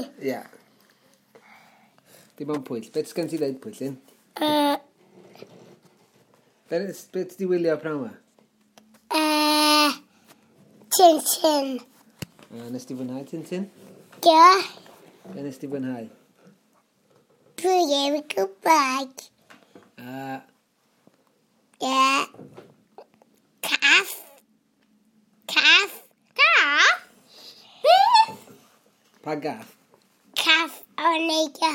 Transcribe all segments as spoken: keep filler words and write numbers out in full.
Ie. Yeah. Dim ond Pwyll. Beth sgen ti ddeud, Pwyllyn? Uh, Be, be ti di wylio pnawn yma? uh, Tintin. Uh, nes ti fwynhau, Tintin? Do. Be nes ti fwynhau? Dwi ddim yn gwybod. Uh, Ie. Cath. Cath. Cath? Beth? Pa gath? Cath o'n neud y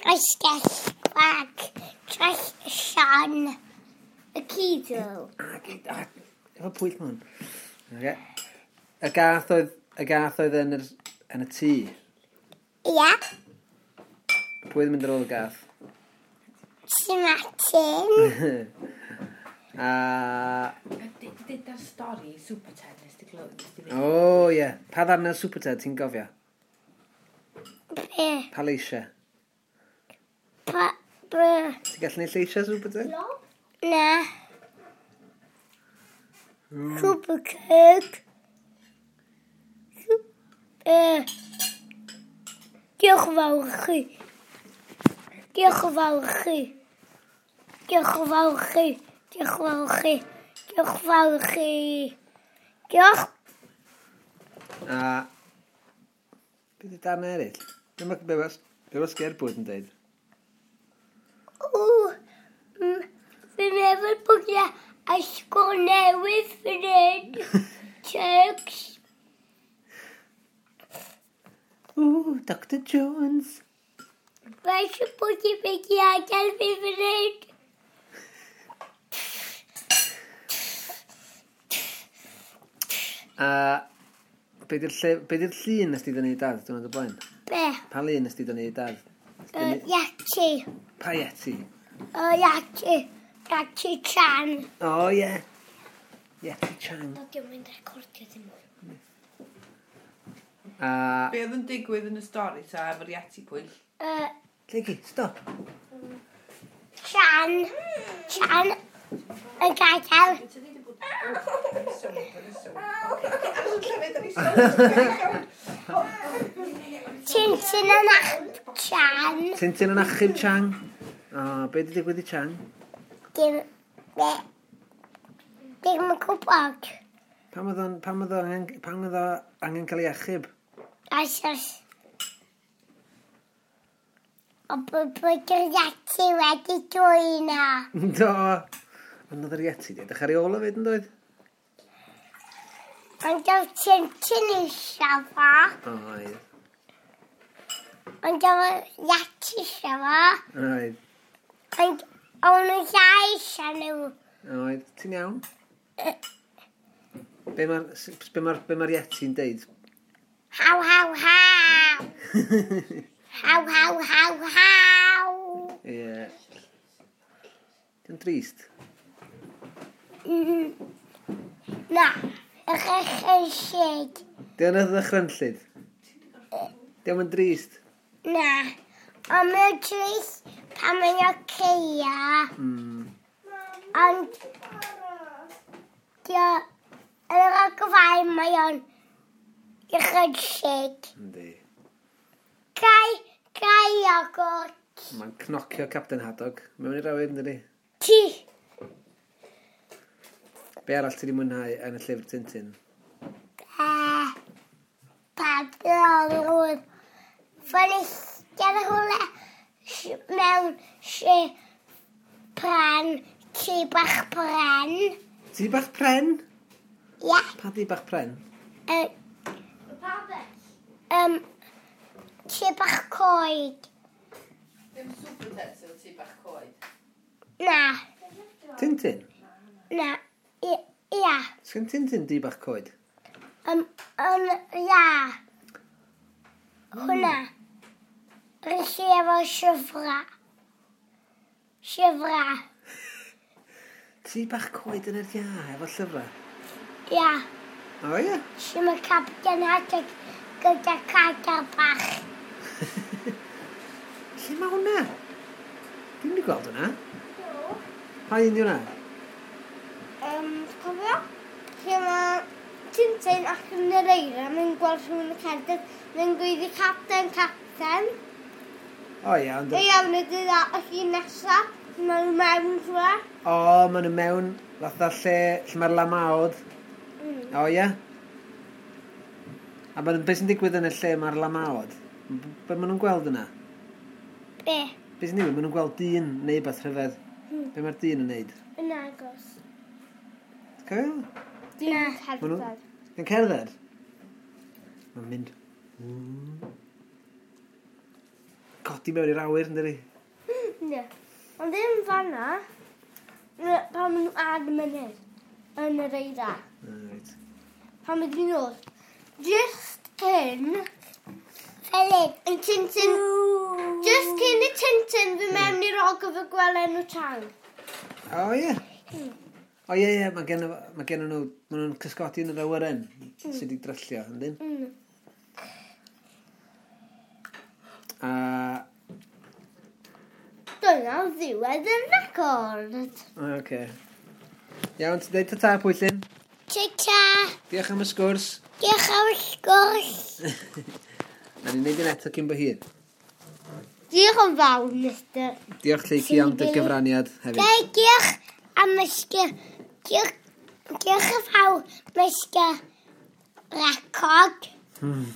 castell bag dros Sian. Y cidw. A, gyd- a, efo Pwyll ma hwn. Okay. Y gath oedd, y gath oedd yn, yr, yn y tŷ. Ia. Pwy oedd yn mynd ar ôl y gath? Ti Martin. A... Dyda'r stori Super Ted nes ti glywed, nes ti O, oh, ie. Yeah. Pa ddarn o Super Ted ti'n gofio? Be? Pa leisiau? Pa... Be? Ti'n gallu neud lleisiau Super Ted? Na. Super Cake. Uh, diolch yn fawr i chi. Diolch yn fawr i chi. Diolch yn fawr i chi. Diolch yn fawr i chi. Diolch yn fawr i chi. Diolch. A... Beth ydy darn eraill? Be mae be ma, be ma Sgerbwd yn deud? O, mm, fi'n meddwl bod yna ysgol newydd fan hyn. Turks. Ooh, Doctor Jones. Mae eisiau bod i'n mynd i adael fi fan hyn. A be di'r lle, be di'r llun nes ti dynnu i dad diwrnod o blaen? Be? Pa lun nes ti dynnu i dad? Nes ti Uh, dynnu- Yeti. Pa Yeti? O, Yeti. Yeti Chan. O, oh, ie. Yeti Chang. Do, diolch yn recordio ddim mwy. A... Be oedd yn digwydd yn y stori ta efo'r Yeti, Pwyll? Uh, Llegi, stop. Chan. Chan. Yn gadael. Tintin yn achub Chan. Tintin yn achub Chang. O, be di digwydd i Chang? Dim... Be? Dim yn gwybod. Pam oedd o'n, pam oedd o angen, pam oedd o angen cael ei achub? Achos... O bod bod yr Yeti wedi dwyn o. Do. Ond oedd yr Yeti di edrych ar ei ôl o fyd yn doedd? Ond oedd Tintin eisiau fo. Oedd. Ond oedd Yeti eisiau fo. Oedd. Ond o'n nhw ddau eisiau nhw. Oedd. Ti'n iawn? Be mae'r be mae'r be mae'r Yeti'n deud? Haw, haw, haw. Haw, haw, haw, haw. Ie. Dwi'n trist. Mm. Na, ych ych Di o'n ddychrynllyd? Di o'n drist? Na, ond mae'n trist pan mae'n oceia. Mm. Ond, dio, yn yr ogfau mae o'n ychydig. Yndi. Gai, gai iogwrt. Mae'n cnocio Captain Haddock mewn i'r awyr, ynddi? Ti. Be arall ti wedi mwynhau yn y llyfr Tintin? Uh, Padrolwyd. Fan eistedd rhywle sh- mewn si pren, tŷ bach pren. Tŷ bach pren? Ia. Pa dŷ bach pren? Uh, um, tŷ bach coed. Ddim Super Ted sydd tŷ bach coed. Na, Tintin? na, i- ia. Sgen Tintin dŷ bach coed? Um, um, ia. Hwna. Rydych chi efo siwfra. Siwfra. Tŷ bach coed yn yr ia, efo llyfrau? Ia. O ie? Sy'n mae Captain Haddock gyda cadar bach. Lle mae hwnna? Dwi'm wedi gweld hwnna. Pa un di hwnna? Um, cofio? Lle mae Tintin ac yn yr eira, mae'n gweld rhywun yn cerdded, mae'n gweiddi capten, capten. O ie, ond... Ei iawn ydy dda, y llun nesa, maen nhw mewn rhywle. O, maen nhw mewn fatha lle, lle mae'r lamaod. Mm. O ie. A maen, beth sy'n digwydd yn y lle mae'r lamaod? Be maen nhw'n gweld yna? Be? Be sy'n digwydd? Maen nhw'n gweld dyn neu beth rhyfedd. Mm. Be mae'r dyn yn neud? Yn agos. Ti'n cofio? Dyn yn Ma' nhw- cerdded. Yn cerdded? Mae'n mynd... Mm. Codi mewn i'r awyr, yn dydi? Ne. Ond ddim fanna, na, pan maen nhw ar y mynydd, yn yr eira. Ah, reit. Pan maen nhw'n dod. Just cyn... Felyn. Yn Tintin... Just cyn y Tintin fy mewn i'r ogof y gwelen nhw tang. O ie. O ie, ie, mae gen, mae gen nhw, maen nhw'n cysgodi yn yr awyren sydd wedi dryllio, yndyn? Mm. A Dyna ddiwedd y record. O, Oce. Iawn, ti'n dweud ta-ta, Pwyllyn. Ta-ta. Diolch am y sgwrs. Diolch am y sgwrs. Na ni'n neud yn eto cyn bo hir. Diolch yn fawr, Mister Diolch Lleucu am dy gyfraniad hefyd. Ge- Diolch am y sg- Diolch diolch yn fawr, Mister Record. Hmm.